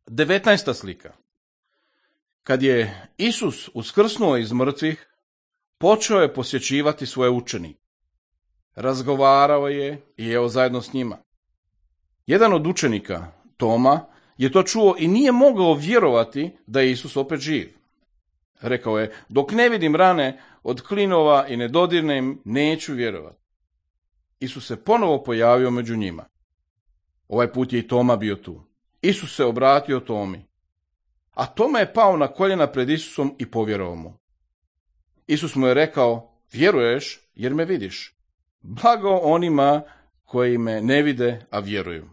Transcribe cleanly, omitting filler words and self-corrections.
19. slika. Kad je Isus uskrsnuo iz mrtvih, počeo je posjećivati svoje učenike. Razgovarao je i jeo zajedno s njima. Jedan od učenika, Toma, je to čuo i nije mogao vjerovati da je Isus opet živ. Rekao je, dok ne vidim rane od klinova i ne dodirnem, neću vjerovati. Isus se ponovo pojavio među njima. Ovaj put je i Toma bio tu. Isus se obratio Tomi, a Toma je pao na koljena pred Isusom i povjerovao mu. Isus mu je rekao, vjeruješ jer me vidiš. Blago onima koji me ne vide, a vjeruju.